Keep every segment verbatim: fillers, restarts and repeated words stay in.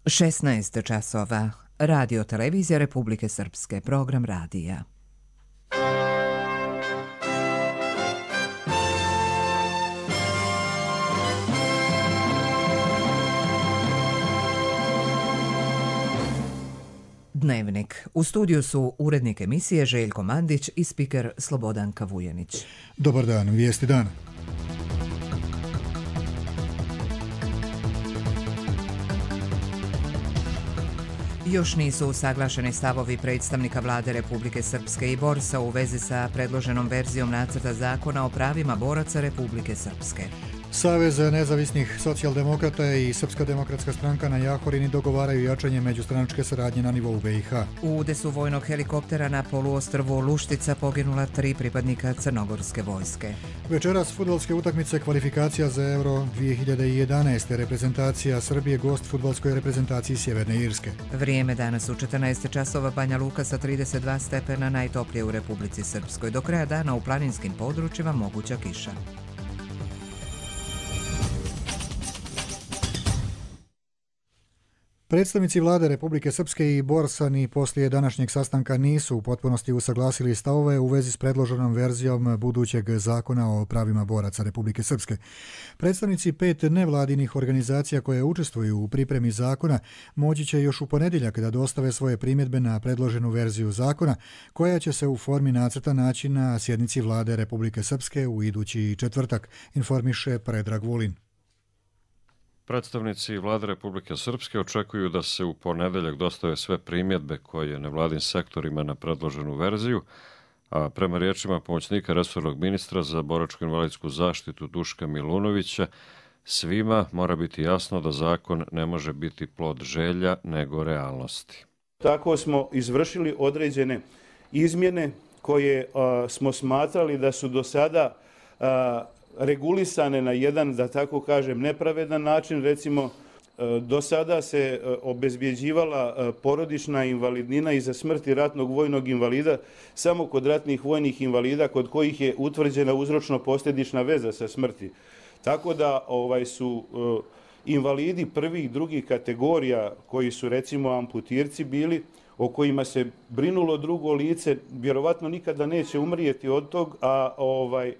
šesnaest časova. Radio Televizija Republike Srpske. Program radija. Dnevnik. U studiju su urednik emisije Željko Mandić i spiker Slobodanka Vujenić. Dobar dan, vijesti dana. Još nisu usaglašeni stavovi predstavnika Vlade Republike Srpske i Borsa u vezi sa predloženom verzijom nacrta zakona o pravima boraca Republike Srpske. Savez nezavisnih socijaldemokrata i Srpska demokratska stranka na Jahorini dogovaraju jačanje međustranačke saradnje na nivou B i H. U udesu vojnog helikoptera na poluostrvu Luštica poginula tri pripadnika crnogorske vojske. Večeras fudbalske utakmice kvalifikacija za Euro dvije hiljade jedanaest. Reprezentacija Srbije gost fudbalskoj reprezentaciji Sjeverne Irske. Vrijeme danas u četrnaest časova, Banja Luka sa trideset dva stepena, najtoplije u Republici Srpskoj. Do kraja dana u planinskim područjima moguća kiša. Predstavnici Vlade Republike Srpske i Borsa ni poslije današnjeg sastanka nisu u potpunosti usaglasili stavove u vezi s predloženom verzijom budućeg zakona o pravima boraca Republike Srpske. Predstavnici pet nevladinih organizacija koje učestvuju u pripremi zakona moći će još u ponedjeljak da dostave svoje primjedbe na predloženu verziju zakona, koja će se u formi nacrta naći na sjednici Vlade Republike Srpske u idući četvrtak, informiše Predrag Vulin. Predstavnici Vlade Republike Srpske očekuju da se u ponedeljak dostave sve primjedbe koje nevladin sektor ima na predloženu verziju, a prema riječima pomoćnika resornog ministra za boračko-invalidsku zaštitu Duška Milunovića, svima mora biti jasno da zakon ne može biti plod želja nego realnosti. Tako smo izvršili određene izmjene koje a, smo smatrali da su do sada a, regulisane na jedan, da tako kažem, nepravedan način. Recimo, do sada se obezbjeđivala porodična invalidnina iza smrti ratnog vojnog invalida samo kod ratnih vojnih invalida kod kojih je utvrđena uzročno-posljedična veza sa smrti. Tako da ovaj su invalidi prvih, drugih kategorija koji su recimo amputirci bili, o kojima se brinulo drugo lice, vjerovatno nikada neće umrijeti od tog, a ovaj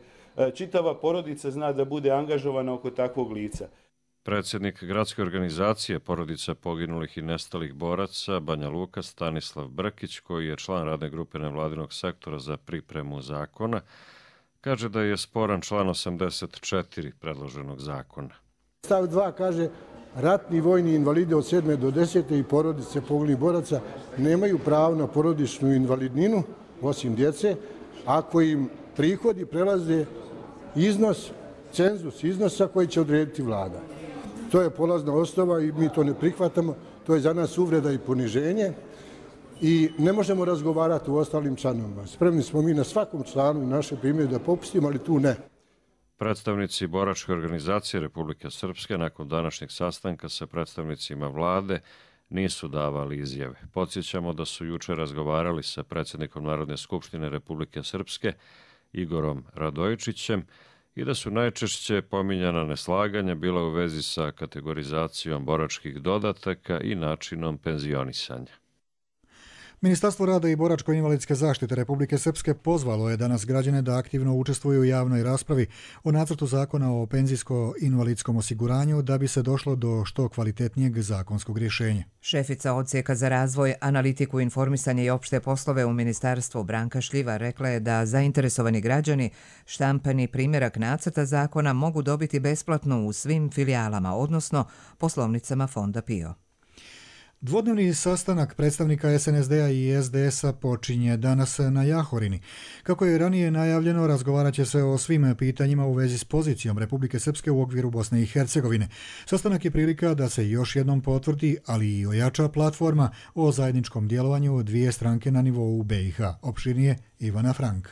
čitava porodica zna da bude angažovana oko takvog lica. Predsjednik gradske organizacije porodica poginulih i nestalih boraca Banja Luka Stanislav Brkić, koji je član radne grupe nevladinog sektora za pripremu zakona, kaže da je sporan član osamdeset četiri predloženog zakona. Stav dva kaže: ratni vojni invalidi od sedme do desete i porodice poginulih boraca nemaju pravo na porodičnu invalidninu, osim djece, ako im prihodi prelaze iznos, cenzus iznosa koji će odrediti vlada. To je polazna osnova i mi to ne prihvatamo. To je za nas uvreda i poniženje i ne možemo razgovarati u ostalim članovima. Spremni smo mi na svakom članu i naše primjedbe da popustimo, ali tu ne. Predstavnici boračke organizacije Republike Srpske nakon današnjeg sastanka sa predstavnicima vlade nisu davali izjave. Podsjećamo da su jučer razgovarali sa predsjednikom Narodne skupštine Republike Srpske Igorom Radojičićem i da su najčešće pominjana neslaganja bila u vezi sa kategorizacijom boračkih dodataka i načinom penzionisanja. Ministarstvo rada i boračko-invalidske zaštite Republike Srpske pozvalo je danas građane da aktivno učestvuju u javnoj raspravi o nacrtu zakona o penzijsko-invalidskom osiguranju da bi se došlo do što kvalitetnijeg zakonskog rješenja. Šefica odsjeka za razvoj, analitiku, informisanje i opšte poslove u ministarstvu Branka Šljiva rekla je da zainteresovani građani štampani primjerak nacrta zakona mogu dobiti besplatno u svim filijalama, odnosno poslovnicama Fonda P I O. Dvodnevni sastanak predstavnika S N S D-a i S D S-a počinje danas na Jahorini. Kako je ranije najavljeno, razgovarat će se o svim pitanjima u vezi s pozicijom Republike Srpske u okviru Bosne i Hercegovine. Sastanak je prilika da se još jednom potvrdi, ali i ojača platforma o zajedničkom djelovanju dvije stranke na nivou B i H. Opširnije Ivana Frank.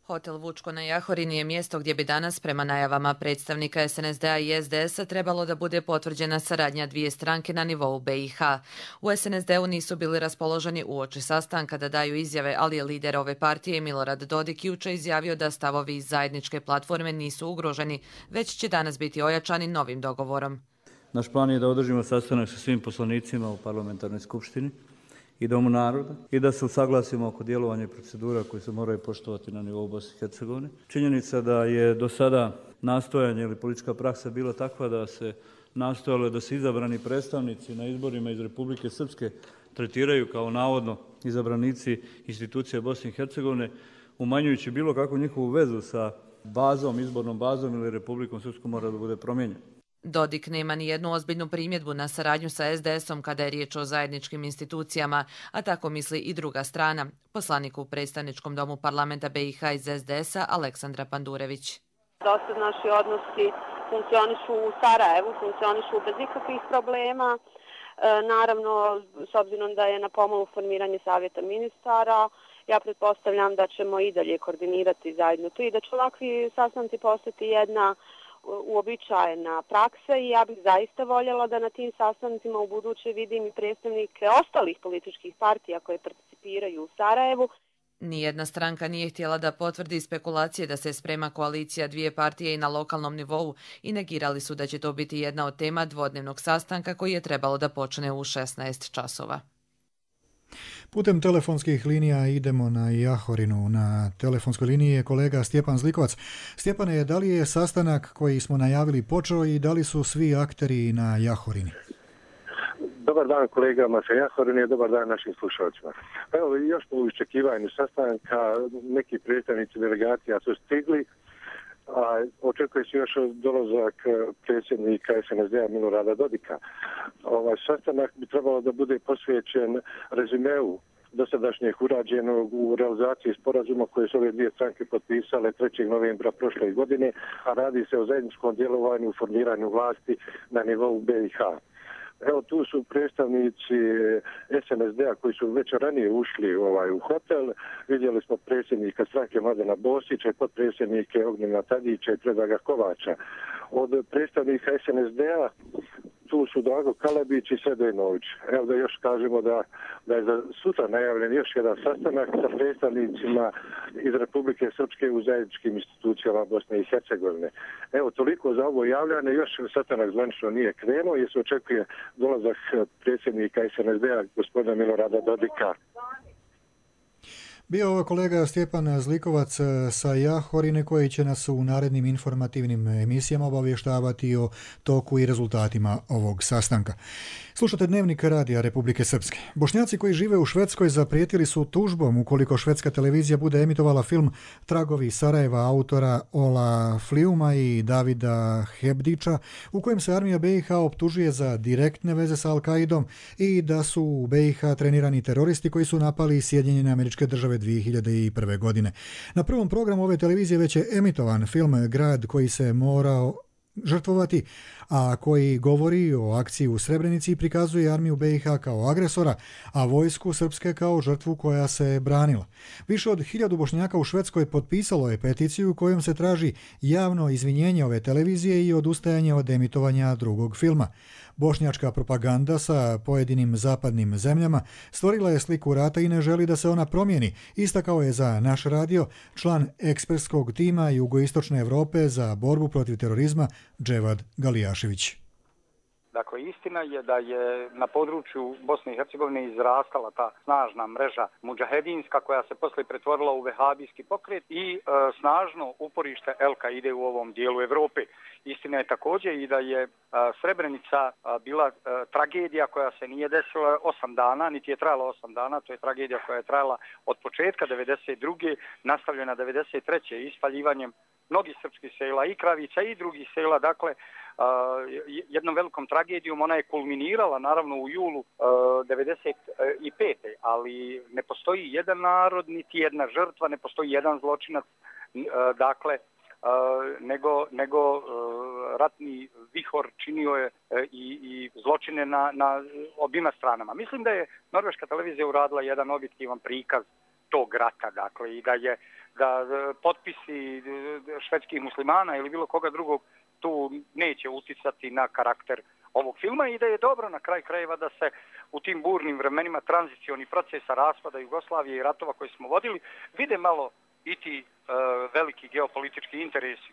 Hotel Vučko na Jahorini je mjesto gdje bi danas, prema najavama predstavnika S N S D-a i S D S-a, trebalo da bude potvrđena saradnja dvije stranke na nivou B i H. U S N S D-u nisu bili raspoloženi uoči sastanka da daju izjave, ali je lider ove partije Milorad Dodik juče izjavio da stavovi iz zajedničke platforme nisu ugroženi, već će danas biti ojačani novim dogovorom. Naš plan je da održimo sastanak sa svim poslanicima u parlamentarnoj skupštini i Domu naroda i da se usaglasimo oko djelovanja i procedura koje se moraju poštovati na nivou Bosne i Hercegovine. Činjenica da je do sada nastojanje ili politička praksa bila takva da se nastojalo da se izabrani predstavnici na izborima iz Republike Srpske tretiraju kao navodno izabranici institucija Bosne i Hercegovine, umanjujući bilo kakvu njihovu vezu sa bazom, izbornom bazom ili Republikom Srpskom, mora da bude promijenjen. Dodik nema ni jednu ozbiljnu primjedbu na saradnju sa es de esom kada je riječ o zajedničkim institucijama, a tako misli i druga strana. Poslanik u predstavničkom domu parlamenta be i ha iz es de esa Aleksandra Pandurević. Dosad naši odnosi funkcionišu u Sarajevu, funkcionišu bez ikakvih problema. E, naravno, s obzirom da je na pomolu formiranje savjeta ministara, ja pretpostavljam da ćemo i dalje koordinirati zajedno to i da će ovakvi sastanci postati jedna uobičajena praksa i ja bih zaista voljela da na tim sastancima u buduće vidim i predstavnike ostalih političkih partija koje participiraju u Sarajevu. Nijedna stranka nije htjela da potvrdi spekulacije da se sprema koalicija dvije partije i na lokalnom nivou i negirali su da će to biti jedna od tema dvodnevnog sastanka koji je trebalo da počne u šesnaest časova. Putem telefonskih linija idemo na Jahorinu. Na telefonskoj liniji je kolega Stjepan Zlikovac. Stjepane, da li je sastanak koji smo najavili počeo i da li su svi akteri na Jahorini? Dobar dan kolegama sa Jahorine, dobar dan našim slušalcima. Evo, još po iščekivanju sastanka neki predstavnici delegacija su stigli, a očekuje se još dolazak predsjednika es en es de a Milorada Dodika. Ovaj sastanak bi trebalo da bude posvećen rezimeu dosadašnjeg urađenog u realizaciji sporazuma koje su ove dvije stranke potpisale trećeg novembra prošle godine, a radi se o zajedničkom djelovanju u formiranju vlasti na nivou be i ha. Evo, tu su predstavnici es en es de a koji su već ranije ušli ovaj, u hotel. Vidjeli smo predsjednika stranke Mladena Bosića i potpredsjednike Ognjena Tadića i Predraga Kovača. Od predstavnika es en es de a tu su Drago Kalabić i Sredojnović. Evo da još kažemo da, da je za sutra najavljen još jedan sastanak sa predstavnicima iz Republike Srpske u zajedničkim institucijama Bosne i Hercegovine. Evo, toliko za ovo javljanje. Još sastanak zvanično nije krenuo jer se očekuje dolazak predsjednika es en es de a gospodina Milorada Dodika. Bio ovo kolega Stjepan Zlikovac sa Jahorine koji će nas u narednim informativnim emisijama obavještavati o toku i rezultatima ovog sastanka. Slušate Dnevnik Radija Republike Srpske. Bošnjaci koji žive u Švedskoj zaprijetili su tužbom ukoliko švedska televizija bude emitovala film Tragovi Sarajeva autora Ola Fliuma i Davida Hebdića, u kojem se armija be i ha optužuje za direktne veze sa Al-Kaidom i da su u be i ha trenirani teroristi koji su napali Sjedinjene Američke Države dvije hiljade prve. godine. Na prvom programu ove televizije već je emitovan film Grad koji se morao žrtvovati, a koji govori o akciji u Srebrenici i prikazuje armiju be i ha kao agresora, a vojsku Srpske kao žrtvu koja se branila. Više od hiljadu Bošnjaka u Švedskoj potpisalo je peticiju kojom se traži javno izvinjenje ove televizije i odustajanje od emitovanja drugog filma. Bošnjačka propaganda sa pojedinim zapadnim zemljama stvorila je sliku rata i ne želi da se ona promijeni, istakao je za naš radio član ekspertskog tima Jugoistočne Evrope za borbu protiv terorizma Dževad Galijašević. Dakle, istina je da je na području Bosne i Hercegovine izrastala ta snažna mreža mudžahedinska koja se poslije pretvorila u vehabijski pokret i e, snažno uporište El-Kaide u ovom dijelu Evrope. Istina je također i da je a, Srebrenica a, bila a, tragedija koja se nije desila osam dana, niti je trajala osam dana, to je tragedija koja je trajala od početka devedeset druge nastavljena devedeset treće ispaljivanjem mnogih srpskih sela i Kravica i drugih sela, dakle jednom velikom tragedijom. Ona je kulminirala naravno u julu devedeset pete. ali ne postoji jedan narod, niti jedna žrtva, ne postoji jedan zločinac, dakle nego, nego ratni vihor činio je i, i zločine na, na obima stranama. Mislim da je norveška televizija uradila jedan objektivan prikaz tog rata, dakle, i da je da potpisi švedskih muslimana ili bilo koga drugog tu neće uticati na karakter ovog filma i da je dobro na kraj krajeva da se u tim burnim vremenima tranzicioni procesa raspada Jugoslavije i ratova koje smo vodili vide malo i ti uh, veliki geopolitički interesi.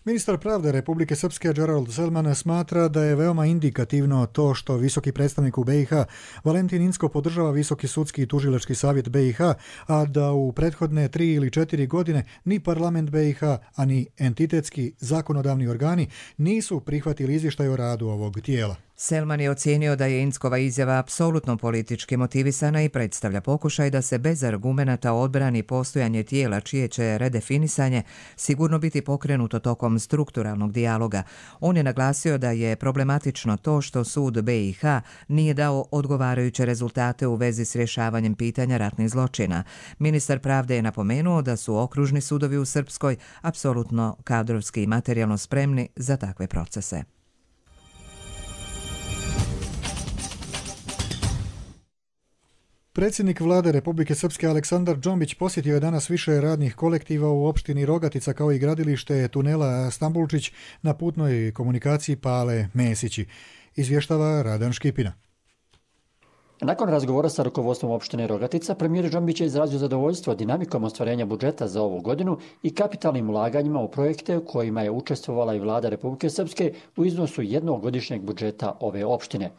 Ministar pravde Republike Srpske Gerald Selman smatra da je veoma indikativno to što visoki predstavnik u B i H Valentin Incko podržava Visoki sudski i tužilački savjet B i H, a da u prethodne tri ili četiri godine ni parlament B i H, a ni entitetski zakonodavni organi nisu prihvatili izvještaj o radu ovog tijela. Selman je ocijenio da je Inckova izjava apsolutno politički motivisana i predstavlja pokušaj da se bez argumenata odbrani postojanje tijela čije će redefinisanje sigurno biti pokrenuto tokom strukturalnog dijaloga. On je naglasio da je problematično to što sud B i H nije dao odgovarajuće rezultate u vezi s rješavanjem pitanja ratnih zločina. Ministar pravde je napomenuo da su okružni sudovi u Srpskoj apsolutno kadrovski i materijalno spremni za takve procese. Predsjednik vlade Republike Srpske Aleksandar Džombić posjetio je danas više radnih kolektiva u opštini Rogatica kao i gradilište tunela Stambulčić na putnoj komunikaciji Pale Mesići. Izvještava Radan Škipina. Nakon razgovora sa rukovodstvom opštine Rogatica, premijer Džombić je izrazio zadovoljstvo dinamikom ostvarenja budžeta za ovu godinu i kapitalnim ulaganjima u projekte u kojima je učestvovala i vlada Republike Srpske u iznosu jednogodišnjeg budžeta ove opštine.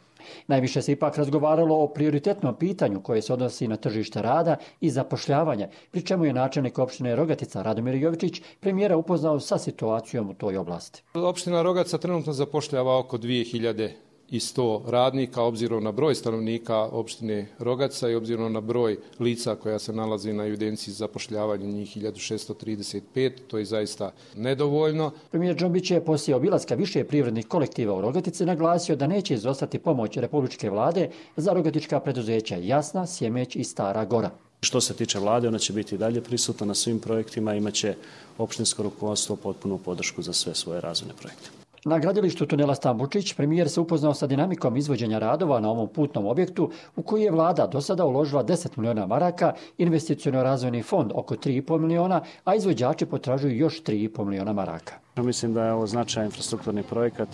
Najviše se ipak razgovaralo o prioritetnom pitanju koje se odnosi na tržište rada i zapošljavanje, pri čemu je načelnik opštine Rogatica Radomir Jovičić premijera upoznao sa situacijom u toj oblasti. Opština Rogatica trenutno zapošljava oko dvije hiljade i sto radnika, obzirom na broj stanovnika opštine Rogatica i obzirom na broj lica koja se nalazi na evidenciji zapošljavanja, njih hiljadu šessto trideset pet, to je zaista nedovoljno. Premijer Džombić je poslije obilaska više privrednih kolektiva u Rogatici naglasio da neće izostati pomoć Republičke vlade za rogatička preduzeća Jasna, Sjemeć i Stara Gora. Što se tiče vlade, ona će biti dalje prisutna na svim projektima, imaće opštinsko rukovodstvo potpunu podršku za sve svoje razvojne projekte. Na gradilištu tunela Stambulčić premijer se upoznao sa dinamikom izvođenja radova na ovom putnom objektu u koji je vlada do sada uložila deset miliona maraka, investiciono-razvojni fond oko tri i po miliona, a izvođači potražuju još tri i po miliona maraka. Mislim da je ovo značajan infrastrukturni projekat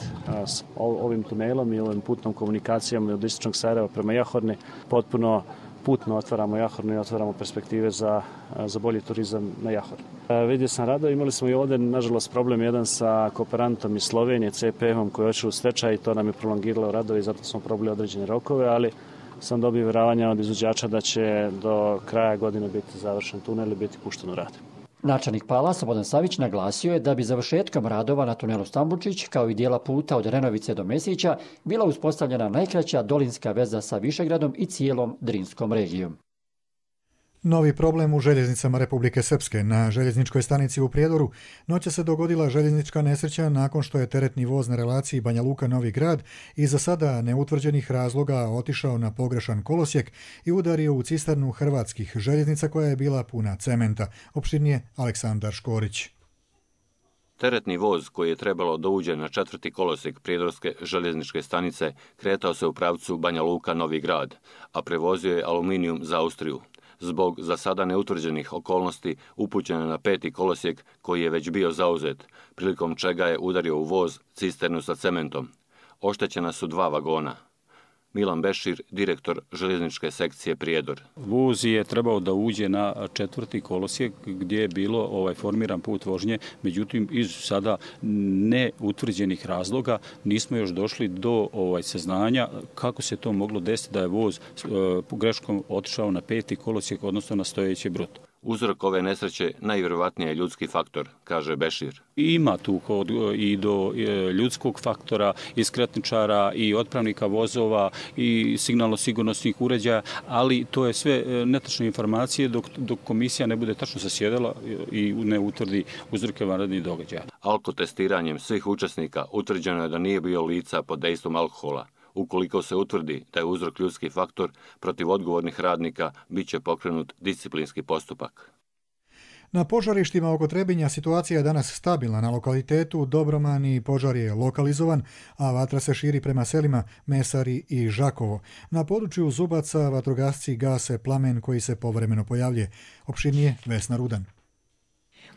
s ovim tunelom i ovim putnom komunikacijom od istočnog Sarajeva prema Jahorni. Potpuno putno otvaramo Jahornu i otvaramo perspektive za, za bolji turizam na Jahorni. Vidio sam rado, imali smo i ovdje, nažalost, problem jedan sa kooperantom iz Slovenije, C P M-om koji je otišao u stečaj i to nam je prolongiralo radove i zato smo probili određene rokove, ali sam dobio vjerovanja od izvođača da će do kraja godine biti završen tunel i biti pušten u rad. Načelnik Pala Slobodan Savić naglasio je da bi završetkom radova na tunelu Stambulčić, kao i dijela puta od Renovice do Mesića, bila uspostavljena najkraća dolinska veza sa Višegradom i cijelom Drinskom regijom. Novi problem u željeznicama Republike Srpske. Na željezničkoj stanici u Prijedoru noća se dogodila željeznička nesreća nakon što je teretni voz na relaciji Banja Luka-Novi Grad iz za sada neutvrđenih razloga otišao na pogrešan kolosijek i udario u cisternu hrvatskih željeznica koja je bila puna cementa. Opširnije Aleksandar Škorić. Teretni voz koji je trebalo da uđe na četvrti kolosijek Prijedorske željezničke stanice kretao se u pravcu Banja Luka-Novi Grad, a prevozio je aluminijum za Austriju. Zbog za sada neutvrđenih okolnosti upućen na peti kolosijek koji je već bio zauzet, prilikom čega je udario u voz cisternu sa cementom. Oštećena su dva vagona. Milan Bešir, direktor željezničke sekcije Prijedor. Voz je trebao da uđe na četvrti kolosijek gdje je bilo ovaj formiran put vožnje, međutim iz sada neutvrđenih razloga nismo još došli do ovaj saznanja kako se to moglo desiti da je voz e, greškom otišao na peti kolosijek, odnosno na stojeći brod. Uzrok ove nesreće najvjerovatnije je ljudski faktor, kaže Bešir. Ima tu i do ljudskog faktora, i skretničara, i otpravnika vozova, i signalno-sigurnosnih uređaja, ali to je sve netačne informacije dok, dok komisija ne bude tačno zasjedala i ne utvrdi uzroke vanrednih događaja. Alkotestiranjem svih učesnika utvrđeno je da nije bio lica pod dejstvom alkohola. Ukoliko se utvrdi da je uzrok ljudski faktor, protiv odgovornih radnika bit će pokrenut disciplinski postupak. Na požarištima oko Trebinja situacija je danas stabilna. Na lokalitetu Dobromani požar je lokalizovan, a vatra se širi prema selima Mesari i Žakovo. Na području Zubaca vatrogasci gase plamen koji se povremeno pojavljuje. Opširnije Vesna Rudan.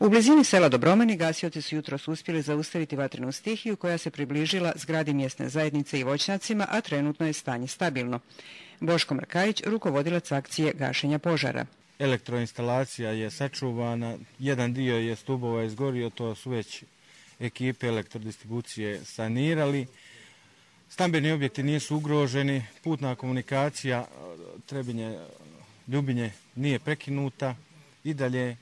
U blizini sela Dobromani gasioci su jutros uspjeli zaustaviti vatrenu stihiju koja se približila zgradi mjesne zajednice i voćnjacima, a trenutno je stanje stabilno. Boško Mrkajić, rukovodilac akcije gašenja požara. Elektroinstalacija je sačuvana, jedan dio je stubova izgorio, to su već ekipe elektrodistribucije sanirali. Stambeni objekti nisu ugroženi, putna komunikacija Trebinje-Ljubinje nije prekinuta i dalje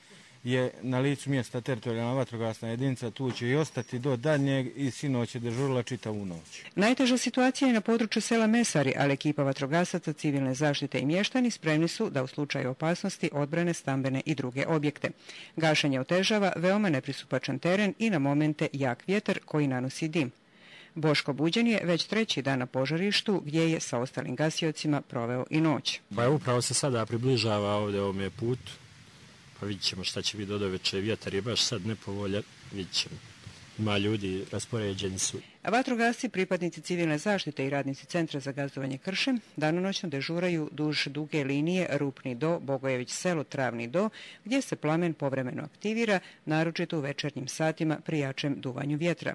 je na licu mjesta teritorijalna vatrogasna jedinica, tu će i ostati do daljnjeg i sinoć je dežurila čitavu noć. Najteža situacija je na području sela Mesari, ali ekipa vatrogasaca, civilne zaštite i mještani spremni su da u slučaju opasnosti odbrane stambene i druge objekte. Gašenje otežava veoma nepristupačan teren i na momente jak vjetar koji nanosi dim. Boško Buđan je već treći dan na požarištu gdje je sa ostalim gasiocima proveo i noć. Pa upravo se sada približava ovdje ovome putu. Pa vidjet ćemo šta će biti do doveče. Vjetar je baš sad nepovoljan, vidjet ćemo. Ima ljudi, raspoređeni su. A vatrogasci, pripadnici civilne zaštite i radnici Centra za gazdovanje kršem danonoćno dežuraju duž duge linije Rupni do, Bogojević selo, Travni do, gdje se plamen povremeno aktivira, naročito u večernjim satima pri jačem duvanju vjetra.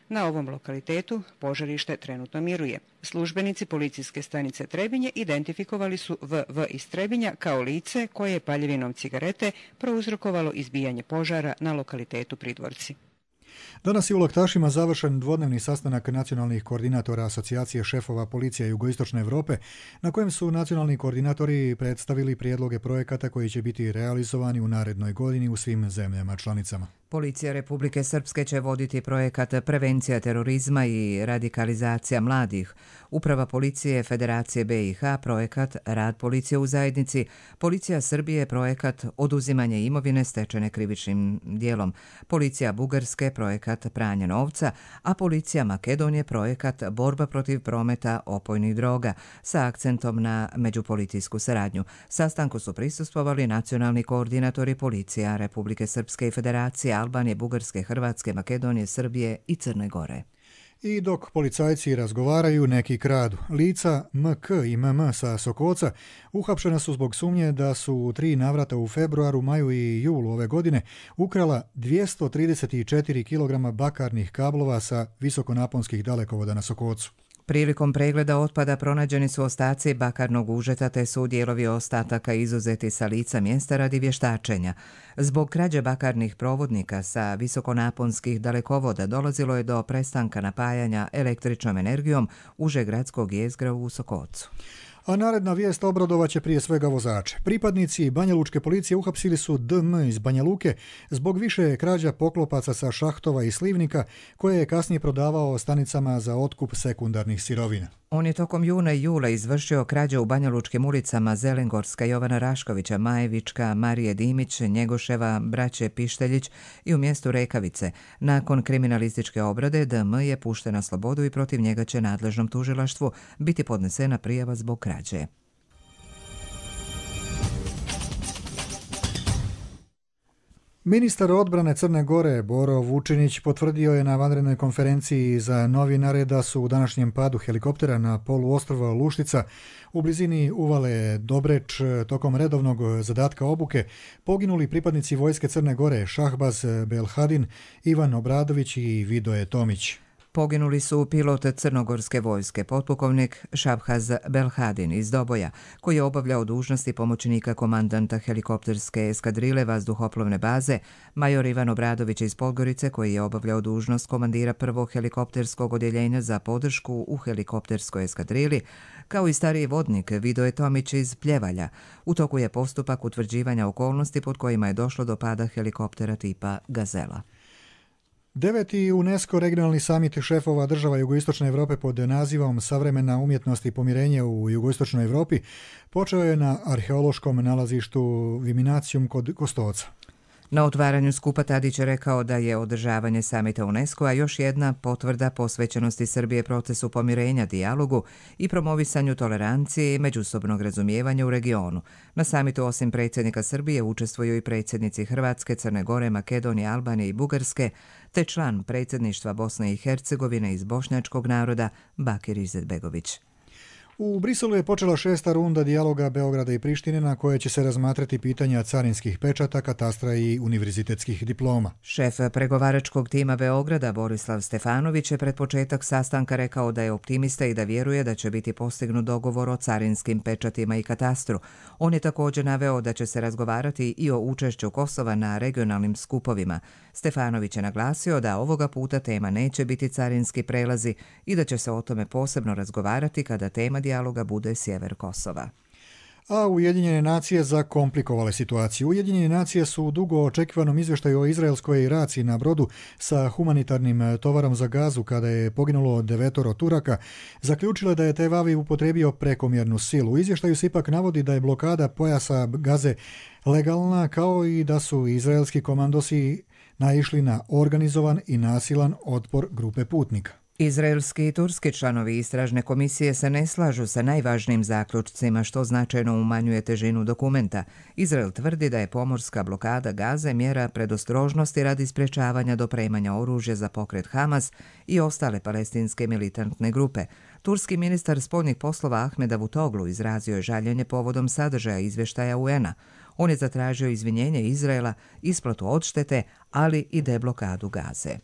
Na ovom lokalitetu požarište trenutno miruje. Službenici policijske stanice Trebinje identifikovali su V V iz Trebinja kao lice koje je paljevinom cigarete prouzrokovalo izbijanje požara na lokalitetu Pridvorci. Danas je u Laktašima završen dvodnevni sastanak nacionalnih koordinatora Asocijacije šefova policija Jugoistočne Europe, na kojem su nacionalni koordinatori predstavili prijedloge projekata koji će biti realizovani u narednoj godini u svim zemljama članicama. Policija Republike Srpske će voditi projekat Prevencija terorizma i radikalizacija mladih. Uprava policije Federacije B i H projekat Rad policije u zajednici, Policija Srbije projekat Oduzimanje imovine stečene krivičnim dijelom, Policija Bugarske projekat Pranje novca, a Policija Makedonije projekat Borba protiv prometa opojnih droga sa akcentom na međupolicijsku saradnju. Sastanku su prisustvovali nacionalni koordinatori policija Republike Srpske i Federacije Albanije, Bugarske, Hrvatske, Makedonije, Srbije i Crne Gore. I dok policajci razgovaraju, neki kradu. Lica M K i M M sa Sokoca uhapšena su zbog sumnje da su u tri navrata u februaru, maju i julu ove godine ukrala dvjesto trideset četiri kilograma bakarnih kablova sa visokonaponskih dalekovoda na Sokocu. Prilikom pregleda otpada pronađeni su ostaci bakarnog užeta te su dijelovi ostataka izuzeti sa lica mjesta radi vještačenja. Zbog krađe bakarnih provodnika sa visokonaponskih dalekovoda dolazilo je do prestanka napajanja električnom energijom užegradskog jezgra u Sokocu. A naredna vijest obradovaće prije svega vozače. Pripadnici Banjalučke policije uhapsili su D M iz Banja Luke zbog više krađa poklopaca sa šahtova i slivnika koje je kasnije prodavao stanicama za otkup sekundarnih sirovina. On je tokom juna i jula izvršio krađe u banjalučkim ulicama Zelengorska, Jovana Raškovića, Majevička, Marije Dimić, Njegoševa, braće Pišteljić i u mjestu Rekavice. Nakon kriminalističke obrade D M je pušten na slobodu i protiv njega će nadležnom tužilaštvu biti podnesena prijava zbog krađe. Ministar odbrane Crne Gore Boro Vučinić potvrdio je na vanrednoj konferenciji za novinare da su u današnjem padu helikoptera na poluostrva Luštica u blizini uvale Dobreč tokom redovnog zadatka obuke poginuli pripadnici vojske Crne Gore Šahbaz Belhadin, Ivan Obradović i Vidoje Tomić. Poginuli su pilot crnogorske vojske, potpukovnik Šabhaz Belhadin iz Doboja, koji je obavljao dužnosti pomoćnika komandanta helikopterske eskadrile vazduhoplovne baze, major Ivan Obradović iz Podgorice, koji je obavljao dužnost komandira prvog helikopterskog odjeljenja za podršku u helikopterskoj eskadrili, kao i stariji vodnik Vidoje Tomić iz Pljevalja. U toku je postupak utvrđivanja okolnosti pod kojima je došlo do pada helikoptera tipa Gazela. Deveti UNESCO regionalni samit šefova država Jugoistočne Europe pod nazivom Savremena umjetnost i pomirenje u Jugoistočnoj Europi počeo je na arheološkom nalazištu Viminacijum kod Kostoca. Na otvaranju skupa Tadić je rekao da je održavanje samita UNESCO-a još jedna potvrda posvećenosti Srbije procesu pomirenja, dijalogu i promovisanju tolerancije i međusobnog razumijevanja u regionu. Na samitu osim predsjednika Srbije učestvuju i predsjednici Hrvatske, Crne Gore, Makedonije, Albanije i Bugarske, te član predsjedništva Bosne i Hercegovine iz bošnjačkog naroda Bakir Izetbegović. U Briselu je počela šesta runda dijaloga Beograda i Prištine na koje će se razmatrati pitanja carinskih pečata, katastra i univerzitetskih diploma. Šef pregovaračkog tima Beograda Borislav Stefanović je pred početak sastanka rekao da je optimista i da vjeruje da će biti postignut dogovor o carinskim pečatima i katastru. On je također naveo da će se razgovarati i o učešću Kosova na regionalnim skupovima. Stefanović je naglasio da ovoga puta tema neće biti carinski prelazi i da će se o tome posebno razgovarati kada tema dijaloga bude sjever Kosova. A Ujedinjene nacije zakomplikovale situaciju. Ujedinjene nacije su u dugo očekivanom izvještaju o izraelskoj raciji na brodu sa humanitarnim tovarom za Gazu kada je poginulo devetoro Turaka zaključile da je Tel Aviv upotrijebio prekomjernu silu. U izvještaju se ipak navodi da je blokada pojasa Gaze legalna, kao i da su izraelski komandosi naišli na organizovan i nasilan otpor grupe putnika. Izraelski i turski članovi istražne komisije se ne slažu sa najvažnijim zaključcima, što značajno umanjuje težinu dokumenta. Izrael tvrdi da je pomorska blokada Gaze mjera predostrožnosti radi sprječavanja dopremanja oružja za pokret Hamas i ostale palestinske militantne grupe. Turski ministar spoljnih poslova Ahmed Davutoglu izrazio je žaljenje povodom sadržaja izvještaja U N-a. On je zatražio izvinjenje Izraela, isplatu odštete, ali i deblokadu Gaze.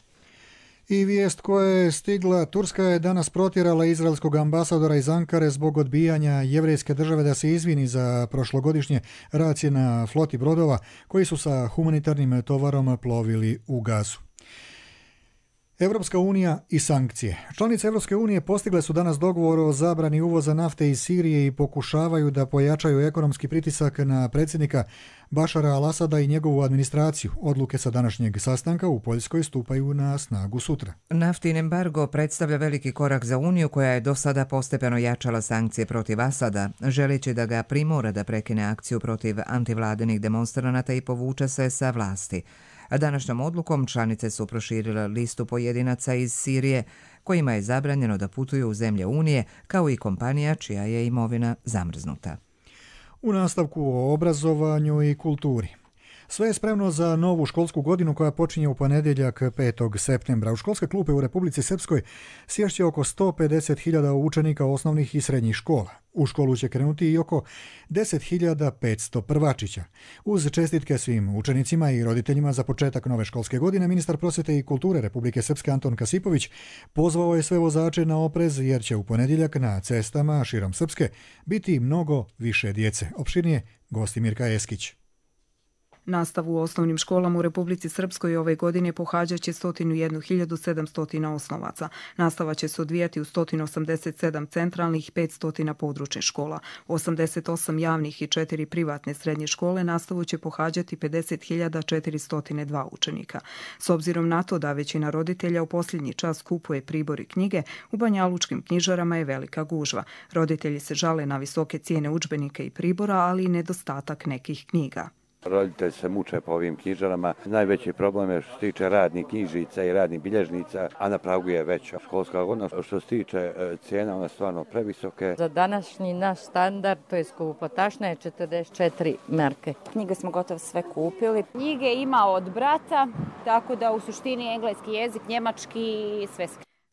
I vijest koja je stigla, Turska je danas protjerala izraelskog ambasadora iz Ankare zbog odbijanja jevrejske države da se izvini za prošlogodišnje racije na floti brodova koji su sa humanitarnim tovarom plovili u Gazu. Europska unija i sankcije. Članice Europske unije postigle su danas dogovor o zabrani uvoza nafte iz Sirije i pokušavaju da pojačaju ekonomski pritisak na predsjednika Bašara al-Asada i njegovu administraciju. Odluke sa današnjeg sastanka u Poljskoj stupaju na snagu sutra. Naftin embargo predstavlja veliki korak za Uniju koja je do sada postepeno jačala sankcije protiv Asada, želeći da ga primora da prekine akciju protiv antivladinih demonstranata i povuče se sa vlasti. A današnjom odlukom članice su proširile listu pojedinaca iz Sirije kojima je zabranjeno da putuju u zemlje Unije, kao i kompanija čija je imovina zamrznuta. U nastavku o obrazovanju i kulturi. Sve je spremno za novu školsku godinu koja počinje u ponedjeljak petog septembra. U školske klupe u Republici Srpskoj sješće oko sto pedeset hiljada učenika osnovnih i srednjih škola. U školu će krenuti i oko deset hiljada petsto prvačića. Uz čestitke svim učenicima i roditeljima za početak nove školske godine, ministar prosvjete i kulture Republike Srpske Anton Kasipović pozvao je sve vozače na oprez jer će u ponedjeljak na cestama širom Srpske biti mnogo više djece. Opširnije gosti Mirka Eskić. Nastavu u osnovnim školama u Republici Srpskoj ove godine pohađat će sto jedna hiljada sedamsto osnovaca. Nastava će se odvijati u sto osamdeset sedam centralnih i petsto područnih škola. U osamdeset osam javnih i četiri privatne srednje škole nastavu će pohađati pedeset hiljada četiristo dva učenika. S obzirom na to da većina roditelja u posljednji čas kupuje pribor i knjige, u banjalučkim knjižarama je velika gužva. Roditelji se žale na visoke cijene udžbenika i pribora, ali i nedostatak nekih knjiga. Roditelji se muče po ovim knjižarama. Najveći problem je što se tiče radnih knjižica i radnih bilježnica, a na pragu je veća školska godina. Što se tiče cijena, one stvarno previsoke. Za današnji naš standard, to je skupotašna, je četrdeset četiri marke. Knjige smo gotovo sve kupili. Knjige ima od brata, tako da u suštini engleski jezik, njemački i sve.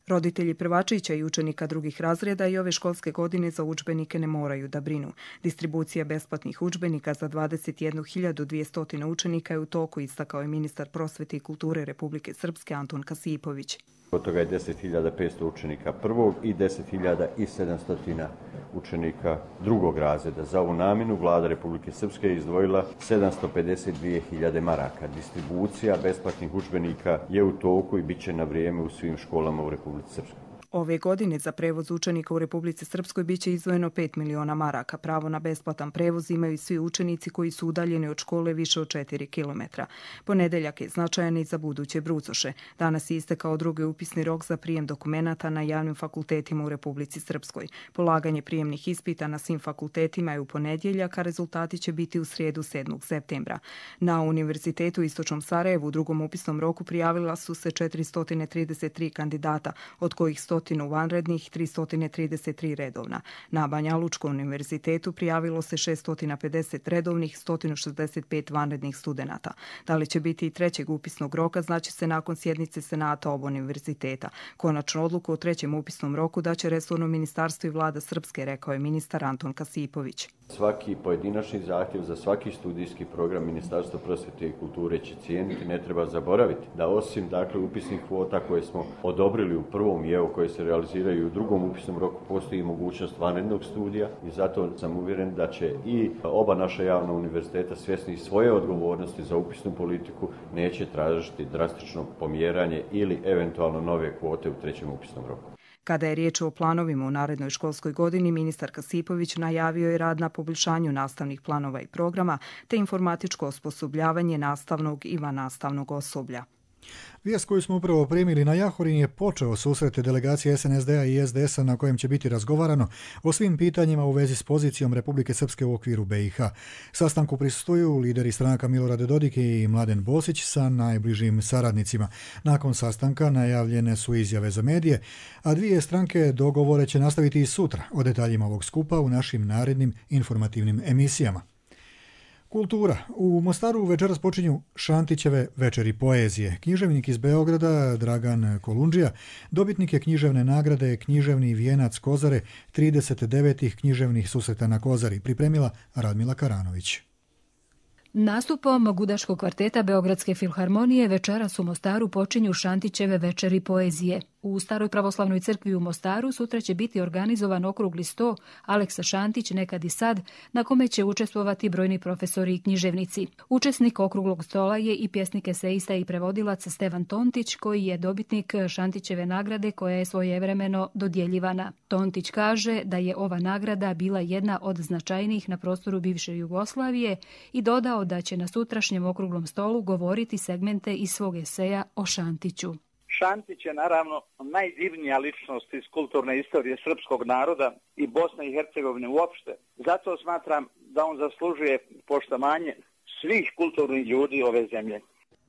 Roditelji prvačića i učenika drugih razreda i ove školske godine za udžbenike ne moraju da brinu. Distribucija besplatnih udžbenika za dvadeset jednu hiljadu dvjesto učenika je u toku, istakao je ministar prosvete i kulture Republike Srpske Anton Kasipović. Od toga je deset hiljada petsto učenika prvog i deset hiljada sedamsto učenika drugog razreda. Za ovu namjenu vlada Republike Srpske je izdvojila sedamsto pedeset dvije hiljade maraka. Distribucija besplatnih udžbenika je u toku i bit će na vrijeme u svim školama u Republici Srpskoj. Ove godine za prevoz učenika u Republici Srpskoj biće izdvojeno pet miliona maraka. Pravo na besplatan prevoz imaju svi učenici koji su udaljeni od škole više od četiri kilometra. Ponedeljak je značajan i za buduće brucoše. Danas je istekao drugi upisni rok za prijem dokumenata na javnim fakultetima u Republici Srpskoj. Polaganje prijemnih ispita na svim fakultetima je u ponedjeljak, a rezultati će biti u srijedu sedmog septembra. Na Univerzitetu u Istočnom Sarajevu u drugom upisnom roku prijavila su se četiristo trideset tri kandidata, od kojih sto stotinu vanrednih, tristo trideset tri redovna. Na Banja Lučkom univerzitetu prijavilo se šesto pedeset redovnih, sto šezdeset pet vanrednih studenata. Da li će biti i trećeg upisnog roka, znači se nakon sjednice Senata oba univerziteta. Konačnu odluku o trećem upisnom roku daće resorno ministarstvo i vlada Srpske, rekao je ministar Anton Kasipović. Svaki pojedinačni zahtjev za svaki studijski program Ministarstva prosvjete i kulture će cijeniti. Ne treba zaboraviti da osim dakle upisnih kvota koje smo odobrili u prvom i evo koje se realiziraju u drugom upisnom roku, postoji mogućnost vanrednog studija i zato sam uvjeren da će i oba naša javna univerziteta svjesni svoje odgovornosti za upisnu politiku neće tražiti drastično pomjeranje ili eventualno nove kvote u trećem upisnom roku. Kada je riječ o planovima u narednoj školskoj godini, ministar Kasipović najavio je rad na poboljšanju nastavnih planova i programa te informatičko osposobljavanje nastavnog i vannastavnog osoblja. Vijest koju smo upravo primili na Jahorin je počeo susret delegacije S N S D-a i S D S-a na kojem će biti razgovarano o svim pitanjima u vezi s pozicijom Republike Srpske u okviru B i H. Sastanku prisustvuju lideri stranaka Milorad Dodik i Mladen Bosić sa najbližim saradnicima. Nakon sastanka najavljene su izjave za medije, a dvije stranke dogovore će nastaviti i sutra. O detaljima ovog skupa u našim narednim informativnim emisijama. Kultura. U Mostaru večeras počinju Šantićeve večeri poezije. Književnik iz Beograda, Dragan Kolundžija, dobitnik je književne nagrade Književni vijenac Kozare, trideset devetih književnih susreta na Kozari, pripremila Radmila Karanović. Nastupom Gudaškog kvarteta Beogradske filharmonije večeras u Mostaru počinju Šantićeve večeri poezije. U Staroj pravoslavnoj crkvi u Mostaru sutra će biti organizovan okrugli sto Aleksa Šantić nekad i sad, na kome će učestvovati brojni profesori i književnici. Učesnik okruglog stola je i pjesnik, eseista i prevodilac Stevan Tontić, koji je dobitnik Šantićeve nagrade koja je svojevremeno dodjeljivana. Tontić kaže da je ova nagrada bila jedna od značajnijih na prostoru bivše Jugoslavije i dodao da će na sutrašnjem okruglom stolu govoriti segmente iz svog eseja o Šantiću. Šantić je naravno najdivnija ličnost iz kulturne istorije srpskog naroda i Bosne i Hercegovine uopšte. Zato smatram da on zaslužuje poštovanje svih kulturnih ljudi ove zemlje.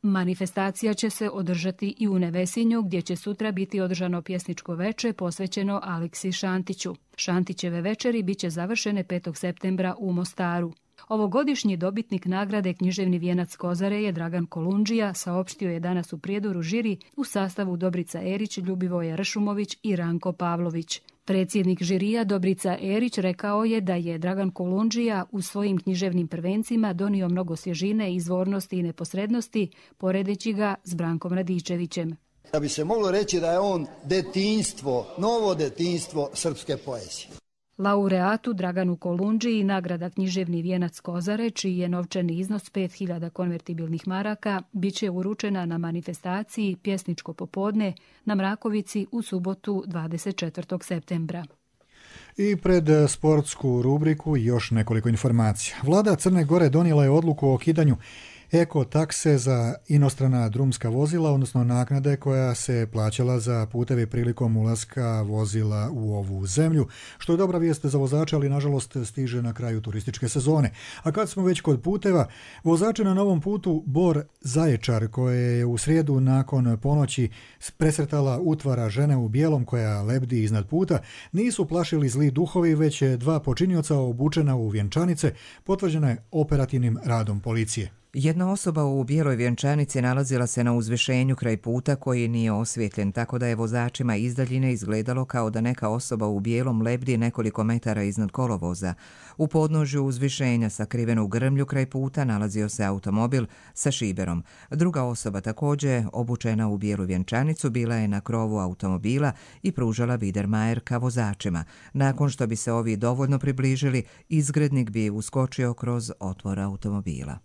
Manifestacija će se održati i u Nevesinju, gdje će sutra biti održano pjesničko veče posvećeno Aleksi Šantiću. Šantićeve večeri bit će završene petog septembra u Mostaru. Ovogodišnji dobitnik nagrade Književni vijenac Kozare je Dragan Kolundžija, saopštio je danas u Prijedoru žiri u sastavu Dobrica Erić, Ljubivoja Ršumović i Ranko Pavlović. Predsjednik žirija Dobrica Erić rekao je da je Dragan Kolundžija u svojim književnim prvencima donio mnogo svježine, izvornosti i neposrednosti, poredeći ga s Brankom Radičevićem. Da bi se moglo reći da je on detinjstvo, novo detinjstvo srpske poezije. Laureatu Draganu Kolundžiji nagrada Književni vijenac Kozare, čiji je novčani iznos pet hiljada konvertibilnih maraka, bit će uručena na manifestaciji Pjesničko popodne na Mrakovici u subotu dvadeset četvrtog septembra. I pred sportsku rubriku još nekoliko informacija. Vlada Crne Gore donijela je odluku o okidanju eko takse za inostrana drumska vozila, odnosno naknade koja se plaćala za puteve prilikom ulaska vozila u ovu zemlju, što je dobra vijest za vozače, ali nažalost stiže na kraju turističke sezone. A kad smo već kod puteva, vozače na novom putu Bor Zaječar, koje je u srijedu nakon ponoći presretala utvara žene u bijelom koja lebdi iznad puta, nisu plašili zli duhovi, već dva počinioca obučena u vjenčanice, potvrđena je operativnim radom policije. Jedna osoba u bijeloj vjenčanici nalazila se na uzvišenju kraj puta koji nije osvijetljen, tako da je vozačima iz daljine izgledalo kao da neka osoba u bijelom lebdi nekoliko metara iznad kolovoza. U podnožju uzvišenja sakriveno u grmlju kraj puta nalazio se automobil sa šiberom. Druga osoba, također obučena u bijelu vjenčanicu, bila je na krovu automobila i pružala Biedermajer ka vozačima. Nakon što bi se ovi dovoljno približili, izgrednik bi uskočio kroz otvor automobila.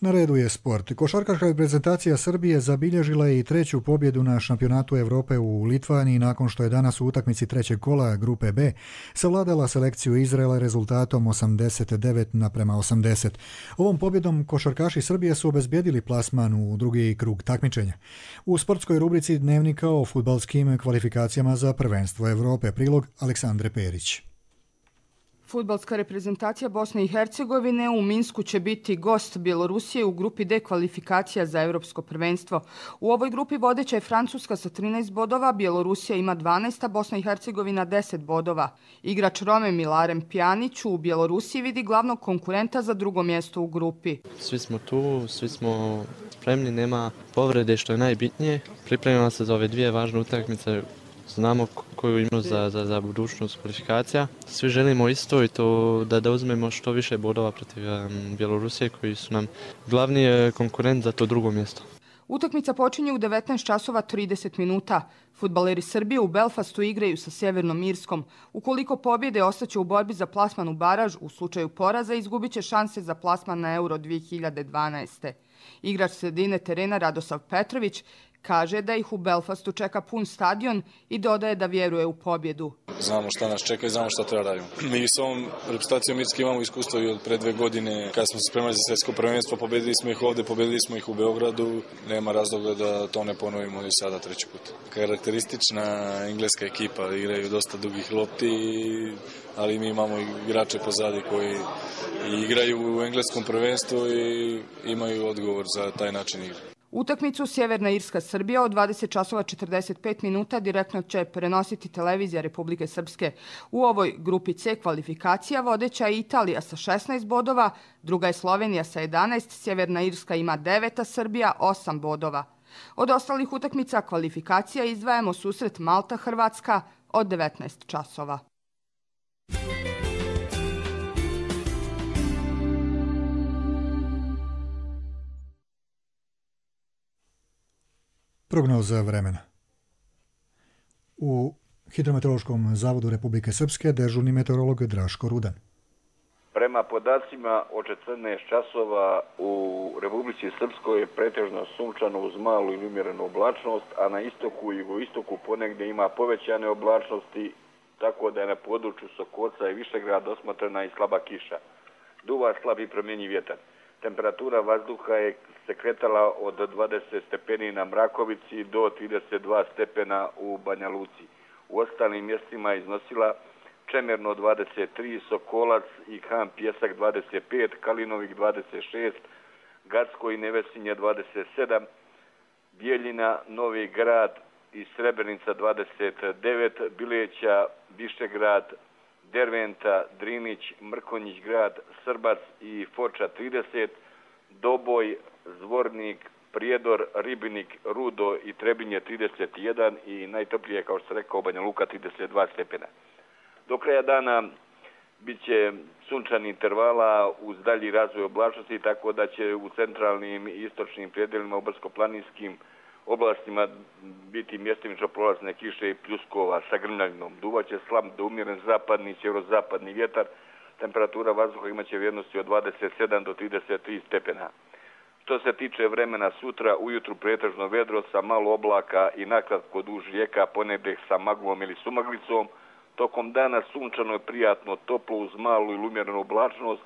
Na redu je sport. Košarkaška reprezentacija Srbije zabilježila je i treću pobjedu na šampionatu Europe u Litvaniji nakon što je danas u utakmici trećeg kola grupe B savladala selekciju Izraela rezultatom osamdeset devet naprema osamdeset. Ovom pobjedom košarkaši Srbije su obezbijedili plasman u drugi krug takmičenja. U sportskoj rubrici Dnevnika o fudbalskim kvalifikacijama za prvenstvo Europe, prilog Aleksandre Perić. Fudbalska reprezentacija Bosne i Hercegovine u Minsku će biti gost Bjelorusije u grupi D kvalifikacija za Europsko prvenstvo. U ovoj grupi vodeća je Francuska sa trinaest bodova, Bjelorusija ima dvanaest, a Bosna i Hercegovina deset bodova. Igrač Rome Milaren Pjanić u Bjelorusiji vidi glavnog konkurenta za drugo mjesto u grupi. Svi smo tu, svi smo spremni, nema povrede što je najbitnije. Pripremimo se za ove dvije važne utakmice. Znamo koju imamo za, za, za budućnost kvalifikacija. Svi želimo isto i to da, da uzmemo što više bodova protiv um, Bjelorusije koji su nam glavni konkurent za to drugo mjesto. Utakmica počinje u devetnaest časova trideset minuta. Fudbaleri Srbije u Belfastu igraju sa Sjevernom Irskom. Ukoliko pobjede, ostaće u borbi za plasman u baraž, u slučaju poraza izgubit će šanse za plasman na Euro dvije hiljade dvanaeste. Igrač sredine terena Radosav Petrović kaže da ih u Belfastu čeka pun stadion i dodaje da vjeruje u pobjedu. Znamo šta nas čeka i znamo šta treba radimo. Mi s ovom reprezentacijom Irske imamo iskustvo i od pre dve godine kada smo se spremali za svjetsko prvenstvo, pobedili smo ih ovdje, pobedili smo ih u Beogradu. Nema razloga da to ne ponovimo i sada treći put. Karakteristična engleska ekipa, igraju dosta dugih lopti, ali mi imamo igrače pozadi koji igraju u engleskom prvenstvu i imaju odgovor za taj način igre. Utakmicu Sjeverna Irska Srbija od dvadeset časova četrdeset pet minuta direktno će prenositi televizija Republike Srpske. U ovoj grupi C kvalifikacija vodeća je Italija sa šesnaest bodova, druga je Slovenija sa jedanaest, Sjeverna Irska ima devet, a Srbija osam bodova. Od ostalih utakmica kvalifikacija izdvajamo susret Malta-Hrvatska od devetnaest časova. Prognoza vremena. U Hidrometeorološkom zavodu Republike Srpske dežurni meteorolog Draško Rudan. Prema podacima od četrnaest časova u Republici Srpskoj je pretežno sunčano uz malu ili umjerenu oblačnost, a na istoku i jugoistoku ponegdje ima povećane oblačnosti, tako da je na području Sokoca i Višegrada osmotrena i slaba kiša. Duva slab i promjenjiv vjetar. Temperatura vazduha je se kretala od dvadeset stepeni na Mrakovici do trideset dva stepena u Banja Luci. U ostalim mjestima je iznosila Čemerno dvadeset tri, Sokolac i Han Pjesak dvadeset pet, Kalinovik dvadeset šest, Gacko i Nevesinje dvadeset sedam, Bijeljina, Novi Grad i Srebrenica dvadeset devet, Bileća, Višegrad, Derventa, Drinić, Mrkonjić grad, Srbac i Foča trideset, Doboj, Zvornik, Prijedor, Ribinik, Rudo i Trebinje trideset jedan i najtoplije, kao što sam rekao, Banja Luka trideset dva stepena. Do kraja dana bit će sunčani intervala uz dalji razvoj oblačnosti, tako da će u centralnim i istočnim predjelima u brdsko-planinskim oblastima biti mjestimično prolazne kiše i pljuskova sa grmljavinom. Duvaće slab do umjeren zapadni i sjeverozapadni vjetar. Temperatura vazduha imaće vrijednosti od dvadeset sedam do trideset tri stepena. Što se tiče vremena sutra, ujutru pretežno vedro sa malo oblaka i nakratko duž rijeka, ponegdje sa maglom ili sumaglicom. Tokom dana sunčano je prijatno toplo uz malu ili umjerenu oblačnost,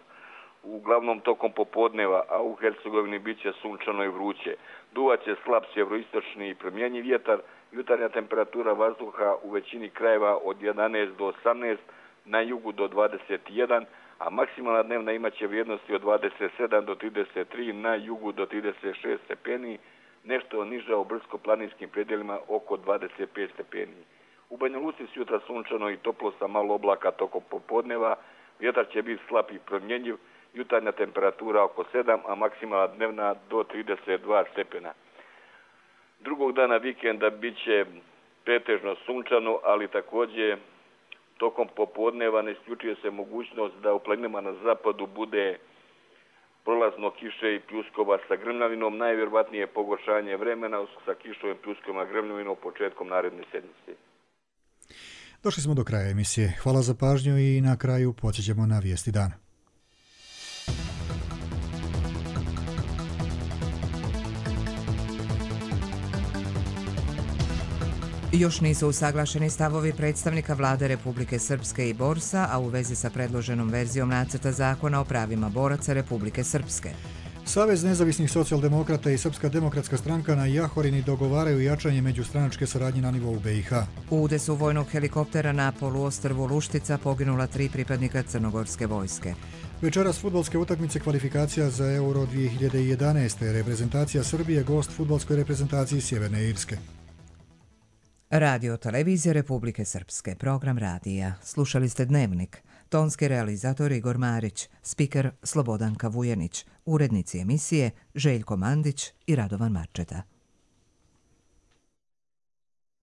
uglavnom tokom popodneva, a u Hercegovini bit će sunčano i vruće. Duvaće slab sjeveroistočni i promjenjiv vjetar, jutarnja temperatura vazduha u većini krajeva od jedanaest do osamnaest, na jugu do dvadeset jedan, a maksimalna dnevna imaće vrijednosti od dvadeset sedam do trideset tri, na jugu do trideset šest stepeni, nešto niža u brdsko-planinskim predjelima oko dvadeset pet stepeni. U Banja Luci sutra sunčano i toplo sa malo oblaka tokom popodneva, vjetar će biti slab i promjenjiv, jutarnja temperatura oko sedam, a maksimalna dnevna do trideset dva stepena. Drugog dana vikenda bit će pretežno sunčano, ali također tokom popodneva ne isključuje se mogućnost da u planinama na zapadu bude prolazno kiše i pljuskova sa grmljavinom, najvjerovatnije pogoršanje vremena sa kišovim pljuskovima grmljavinom početkom naredne sedmice. Došli smo do kraja emisije. Hvala za pažnju i na kraju podsjećamo na vijesti dana. Još nisu usaglašeni stavovi predstavnika vlade Republike Srpske i Borsa, a u vezi sa predloženom verzijom nacrta zakona o pravima boraca Republike Srpske. Savez nezavisnih socijaldemokrata i Srpska demokratska stranka na Jahorini dogovaraju jačanje međustranačke saradnje na nivou B i H. U udesu vojnog helikoptera na poluostrvu Luštica poginula tri pripadnika crnogorske vojske. Večeras fudbalske utakmice kvalifikacija za Euro dvije hiljade jedanaeste. Reprezentacija Srbije gost fudbalskoj reprezentaciji Sjeverne Irske. Radio televizije Republike Srpske, program radija. Slušali ste Dnevnik. Tonski realizator Igor Marić, spiker Slobodanka Vujanić, urednici emisije Željko Mandić i Radovan Marčeta.